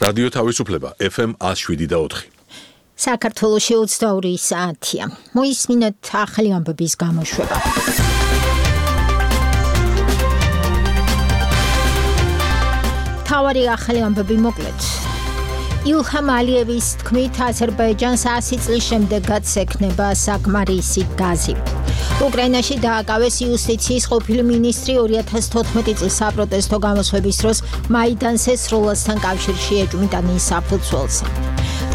რადიო თავისუფლება FM 107.4. საქართველოში 22 საათია. მოისმინეთ ახალი ამბების გამოშვება. თავარი ახალი ამბები მოკლედ. ილჰამ ალიევის თქმით, აზერბაიჯანს 100 წლის შემდეგაც ექნება საკმარისი გაზი. უკრაინაში დააკავეს იუსტიციის ყოფილი მინისტრი 2014 წლის საპროტესტო გამოსვების დროს მაიდანს სროლასთან კავშირში ეჭვმიტანის საფუძველს.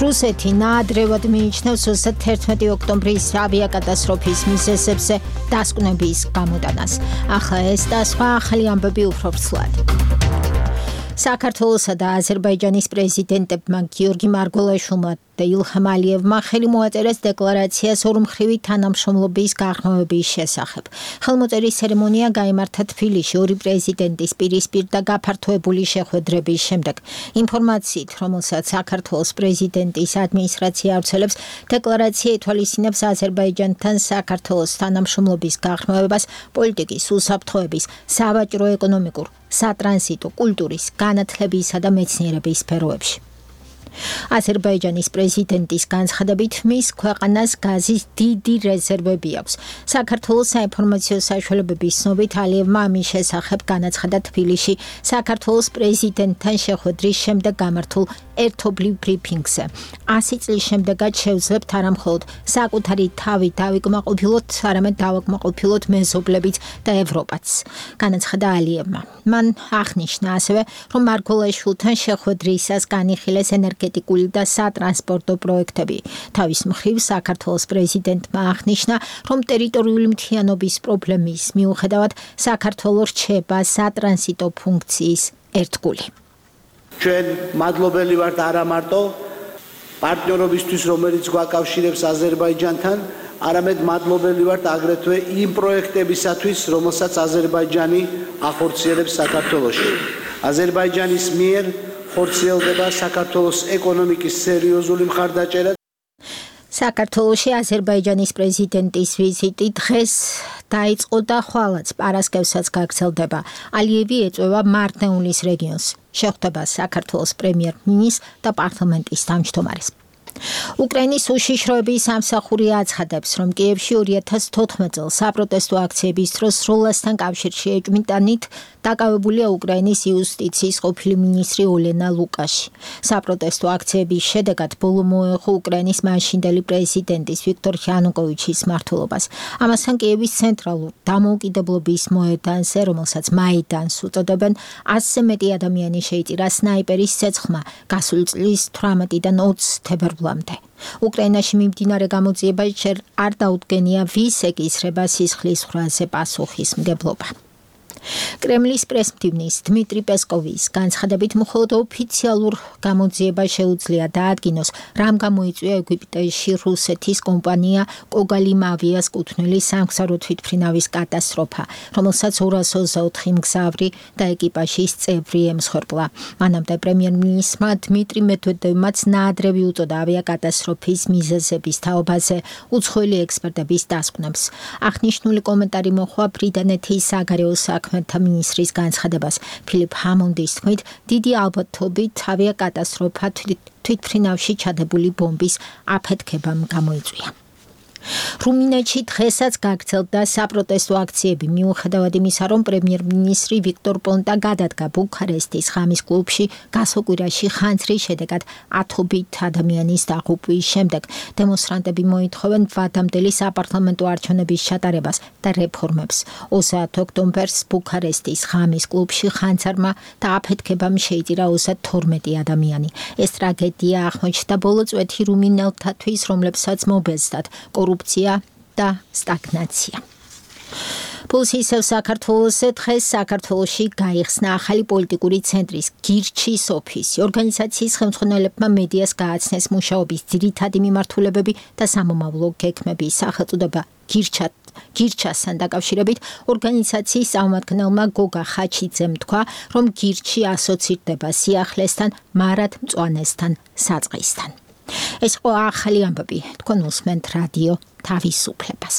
რუსეთი ნაადრევად მიიჩნევს 11 ოქტომბრის ავიაკატასტროფის მიზეზებზე დასკვნების გამოტანას. ახლა ეს და სხვა ახალი ამბები უფრო ვრცლად. საქართველოსა და აზერბაიჯანის პრეზიდენტებმა გიორგი მარგველაშვილმა და ილჰამ ალიევმა ხელი მოაწერეს დეკლარაციას ორმხრივი თანამშრომლობის გაღრმავების შესახებ. ხელმოწერის ცერემონია გაიმართა თბილისში ორი პრეზიდენტის პირისპირ და გაფართოებული შეხვედრების შემდეგ. ინფორმაციით, რომელსაც საქართველოს პრეზიდენტის ადმინისტრაცია ავრცელებს, დეკლარაცია ითვალისწინებს აზერბაიჯანთან საქართველოს თანამშრომლობის გაღრმავებას პოლიტიკის, უსაფრთხოების, სავაჭრო-ეკონომიკურ, სატრანზიტო, კულტურის, განათლებისა და მეცნიერების სფეროებში. აზერბაიჯანის პრეზიდენტის განცხადებით, მის ქვეყანას გაზის დიდი რეზერვები აქვს. საქართველოს საინფორმაციო საშუალებების ცნობით, ალიევმა ამის შესახებ განაცხადა თბილისში საქართველოს პრეზიდენტთან შეხვედრის შემდეგ გამართულ ერთობლივ ბრიფინგზე. 100 წლის შემდეგაც შევძლებთ არა მხოლოდ საკუთარი თავი დავიკმაყოფილოთ, არამედ დავაკმაყოფილოთ მეზობლებიც და ევროპაც. განაცხადა ალიევმა. მან აღნიშნა ასევე, რომ მარგველაშვილთან შეხვედრისას განიხილეს ენერგეტიკული და სატრანსპორტო პროექტები. თავის მხრივ საქართველოს პრეზიდენტმა აღნიშნა, რომ ტერიტორიული მთლიანობის პრობლემის მიუხედავად საქართველოს რჩება სატრანზიტო ფუნქციის ერთგული. ჩვენ მადლობელი ვართ არა მარტო პარტნიორობისთვის, რომელიც გვაკავშირებს აზერბაიჯანთან, არამედ მადლობელი ვართ აგრეთვე იმ პროექტებისათვის, რომელსაც აზერბაიჯანი ახორციელებს საქართველოში. აზერბაიჯანის მიერ ხორციელდება საქართველოს ეკონომიკის სერიოზული მხარდაჭერა. საქართველოში აზერბაიჯანის პრეზიდენტის ვიზიტი დღეს დაიწყო და ხვალაც პარასკევსაც გაგრძელდება. ალიევი ეწევა მარნეულის რეგიონს. შეხვდება საქართველოს პრემიერ-მინისტრს და პარლამენტის თავმჯდომარეს. უკრაინის უშიშროების სამსახური აცხადებს, რომ კიევში 2014 წელს საპროტესტო აქციების დროს სროლასთან კავშირში ეჭვმიტანით დაკავებულია უკრაინის იუსტიციის ყოფილი მინისტრი ოლენა ლუკაში. საპროტესტო აქციების შედეგად ბოლო მოეხო უკრაინის მაშინდელი პრეზიდენტის ვიქტორ იანუკოვიჩის მმართველობას. ამასთან კიევის ცენტრალურ დამოუკიდებლობის მოედანზე, რომელსაც მაიდანს უწოდებენ, 100-ზე მეტი ადამიანი შეიწირა სნაიპერის ცეცხლმა გასული წლის 18-დან 20 თებერვლამდე. უკრაინაში მიმდინარე გამოძიება ჯერ არ დაუდგენია ვის ეკისრება სისხლის ხრაზე პასუხისმგებლობა. კრემლის პრესმდივნის დმიტრი პესკოვის განცხადებით, მხოლოდ ოფიციალურ გამოძიება შეუძლია დაადგინოს, რამ გამოიწვია ეგვიპტეში რუსეთის კომპანია კოგალიმავიას კუთვნილი სამგზავრო თვითმფრინავის კატასტროფა, რომელსაც 224 მგზავრი და ეკიპაჟის წევრი ემსხვერპლა. მანამდე პრემიერ-მინისტრმა დმიტრი მედვედევმაც ნაადრევი უწოდა ავიაკატასტროფის მიზეზების თაობაზე უცხოელი ექსპერტების დასკვნებს. აღნიშნული კომენტარი მოჰყვა ბრიტანეთის საგარეო საქმეთა მინისტრის განცხადებას. ფილიპ ჰამონდის თქმით, დიდი ალბათობით ავიაკატასტროფა თვითმფრინავში ჩადებული ბომბის აფეთქებამ გამოიწვია. რუმინეთში დღესაც გაგრძელდა საპროტესტო აქციები, მიუხედავად იმისა, რომ პრემიერ-მინისტრი ვიქტორ პონტა გადადგა ბუქარესტის ღამის კლუბში გასოკვირაში ხანძრის შედეგად ათობით ადამიანის დაღუპვის შემდეგ. დემონსტრანტები მოითხოვენ ვადამდელი საპარლამენტო არჩევნების ჩატარებას და რეფორმებს. 30 ოქტომბერს ბუქარესტის ღამის კლუბში ხანძარმა და აფეთქებამ შეიწირა 32 ადამიანი. ეს ტრაგედია აღმოჩნდა ბოლო წვეთი რუმინელთათვის, რომლებსაც მობეზდათ კორუფცია და სტაგნაცია. Pulsisев საქართველოსზე დღეს საქართველოში გაიხსნა ახალი პოლიტიკური ცენტრის გირჩის ოფისი. ორგანიზაციის ხელმძღვანელებმა მედიას გააცნეს მუშაობის ძირითადი მიმართულებები და სამომავლო გეგმები. სახელწოდება გირჩასთან დაკავშირებით ორგანიზაციის წარმომადგენელმა გოგა ხაჩიძემ თქვა, რომ გირჩი ასოცირდება სიახლესთან, მარადმწვანესთან, საწყისთან. ეს იყო ახალი ამბები. თქვენ უსმენთ რადიო თავისუფლებას.